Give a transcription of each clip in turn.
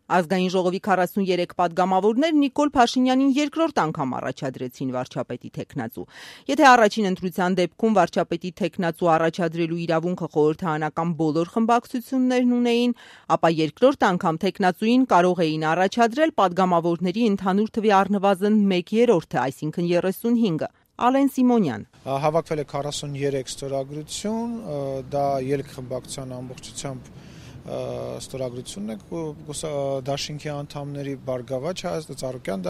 Ազգային ժողովի 43 պատգամավորներ Նիկոլ Փաշինյանին երկրորդ անգամ առաջադրեցին վարչապետի թեկնածու։ Եթե առաջին ընտրության դեպքում վարչապետի թեկնածու առաջադրելու իրավունքը խորհրդարանական բոլոր խմբակցություններն ունեին, ապա երկրորդ անգամ թեկնածուին կարող էին առաջադրել պատգամավորների ընդհանուր թվի առնվազն 1/3, այսինքն 35-ը։ Ալեն Սիմոնյան. Հավաքվել է 43 ստորագրություն, դա ելք խմբակցության ամբողջությամբ ստորագրությունն է դաշինքի անդամների Բարգավաճ Հայաստան Ծառուկյան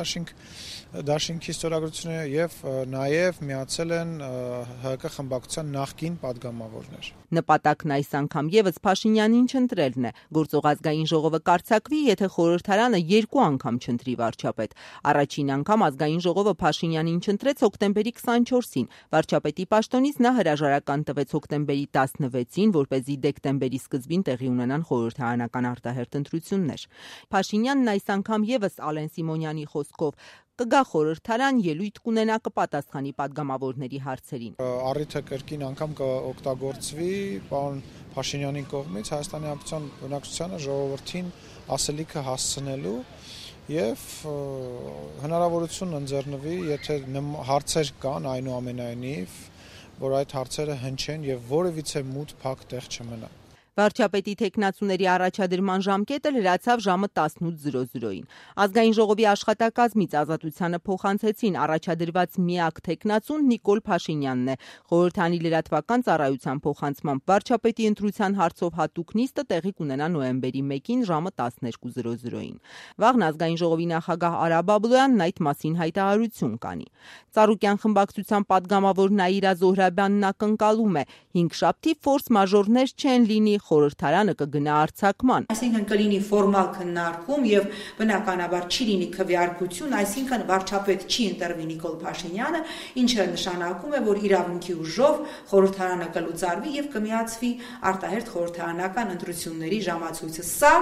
դաշինքի ստորագրությունը եւ նաեւ միացել են ՀԿ խմբակցության նախկին պատգամավորներ։ Նպատակն այս անգամ եւս Փաշինյանին չընտրելն է։ Գործող ազգային ժողովը կառցակվի, եթե խորհրդարանը 2 անգամ չընտրի վարչապետ։ Առաջին անգամ ազգային ժողովը Փաշինյանին չընտրեց հոկտեմբերի 24-ին։ Վարչապետի պաշտոնից նա հրաժարական տվեց հոկտեմբերի 16-ին, որպեսզի դեկտեմբերի սկզբին տեղի ունենան խորհրդարանական արտահերթ ընտրություններ։ Փաշինյանն այս անգամ եւս Ալեն Սիմոնյանի խոսքով կգա խորհրդարան, ելույթ կունենա, կպատասխանի պատգամավորների հարցերին։ Առիթը կրկին անգամ կօգտագործվի պարոն Փաշինյանի կողմից Հայաստանի Հանրապետության բնակչությանը ժողովրդին ասելիքը հասցնելու եւ հնարավորություն ընձեռնվի, եթե հարցեր կան, այնուամենայնիվ, որ այդ հարցերը հնչեն եւ որևիցե մութ փակ տեղ չմնա։ Վարչապետի թեկնածուների առաջադրման ժամկետը լրացավ ժամը 18:00-ին։ Ազգային ժողովի աշխատակազմից Ազատությանը փոխանցեցին առաջադրված միակ թեկնածուն Նիկոլ Փաշինյանն է։ Խորհրդանի լրատվական ծառայության փոխանցմամբ վարչապետի ընտրության հարցով հատուկ նիստը տեղի կունենա նոյեմբերի 1-ին ժամը 12:00-ին։ Վաղն ազգային ժողովի նախագահ Արա Բաբլոյանն այդ մասին հայտարարություն կանի։ Ծառուկյան խմբակցության պատգամավոր Նաիրա Զոհրաբյանն ակնկալում է՝ 5 շաբթի ֆորս մաժորներ չեն լինի, խորհրդարանը կգնա արձակման։ Այսինքն կլինի ֆորմալ քննարկում եւ բնականաբար չի լինի քվեարկություն, այսինքն վարչապետ չի ընտրվի Նիկոլ Փաշինյանը, ինչը նշանակում է, որ իրավունքի ուժով խորհրդարանը կլուծարվի եւ կմիացվի արտահերթ խորհրդարանական ընտրությունների ժամացույցը։ Սա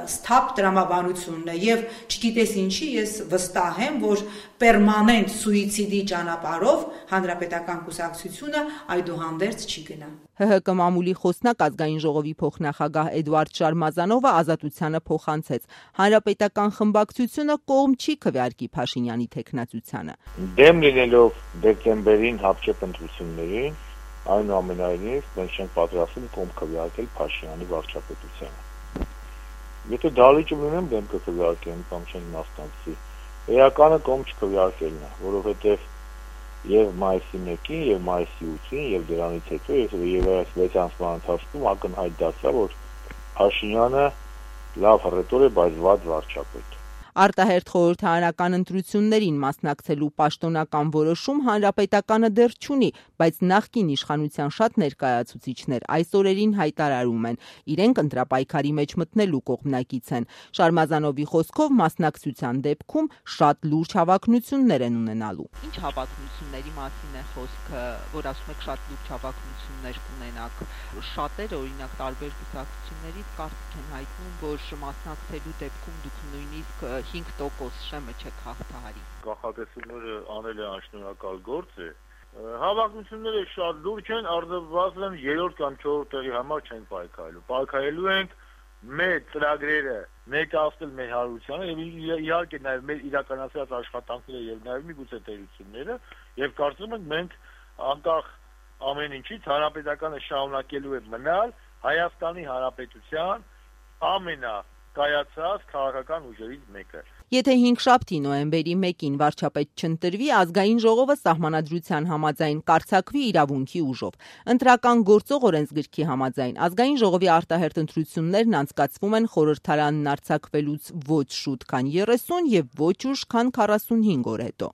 սթափ տրամաբանությունն է եւ չգիտես ինչի ես վստահ եմ, որ պերմանենտ սուիցիդի ճանապարհով հանրապետական կուսակցությունը այդուհանդերձ չի գնա։ ՀՀԿ մամուլի խոսնակ ազգային ժողովի փոխնախագահ Էդուարդ Շարմազանովը Ազատությանը փոխանցեց. հանրապետական խմբակցությունը կողմ չի քվեարկի Փաշինյանի թեկնածությանը։ Դեմ լինելով դեկտեմբերին հապճեպ ընտրություններին, այնուամենայնիվ մենք չենք պատրաստվում կողմ քվեարկել Փաշինյանի վարչապետությանը։ Եթե դալիճ ունենեմ դեմ կքվեարկեմ կամ չեն մասնակցի, էականը կողմ չքվեարկելն է, որովհետև եւ մայիսի 1-ին եւ մայիսի 8-ին եւ դրանից հետո եւ այս 6 ամսվա ընթացքում ակնհայտ դարձավ, որ Փաշինյանը լավ հռետոր է, բայց վատ վարչապետ։ Արտահերթ խորհրդարանական ընտրություններին մասնակցելու պաշտոնական որոշում հանրապետականը դեռ չունի, բայց նախկին իշխանության շատ ներկայացուցիչներ այս օրերին հայտարարում են, իրենք ընտրապայքարի մեջ մտնելու կողմնակից են։ Շարմազանովի խոսքով մասնակցության դեպքում շատ լուրջ հավակնություններ են ունենալու։ Ինչ հավակնությունների մասին է խոսքը, որ ասում եք շատ լուրջ հավակնություններ կունենաք։ Շատերը, օրինակ, տարբեր կուսակցություններից կարծիք են հայտնում, որ մասնակցելու դեպքում դուք նույնիսկ 5% շեմը չեք հաղթահարի։ Կանխատեսումները անել է անշնորհակալ գործ է։ Հավակնությունները շատ լուրջ են, առնվազն 3-րդ կամ 4-րդ տեղի համար չենք պայքարելու։ Պայքարելու ենք մեր ծրագրերը ներկայացնել մեր հանրությանը եւ իհարկե նաեւ մեր իրականացրած աշխատանքները եւ նաեւ միգուցե տերությունները եւ կարծում ենք մենք անկախ ամեն ինչից հանրապետականը շարունակելու է մնալ Հայաստանի Հանրապետության ամենակայացած քաղաքական ուժերից մեկը։ Եթե 5 շաբթի նոյեմբերի 1-ին վարչապետ չընտրվի, ազգային ժողովը սահմանադրության համաձայն կառցակվի իրավունքի ուժով։ Ընտրական գործող օրենսգրքի համաձայն ազգային ժողովի արտահերթ ընտրություններն անցկացվում են խորհրդարանն արձակվելուց ոչ շուտ, քան 30 եւ ոչ ուշ, քան 45 օր հետո։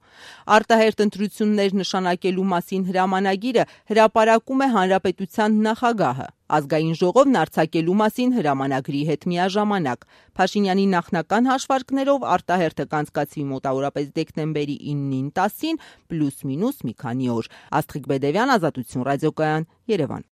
Արտահերթ ընտրություններ նշանակելու մասին հրամանագիրը հրապարակում է հանրապետության նախագահը։ Ազգային ժողովն արձակելու մասին հրամանագրի հետ միաժամանակ։ Փաշինյանի նախնական հաշվարկներով արտահերթը կանցկացվի մոտավորապես դեկտեմբերի 9-ին 10-ին, պլյուս մինուս մի քանի օր։ Աստղիկ Բեդևյան, Ազատություն ռադիոկայան, Երևան։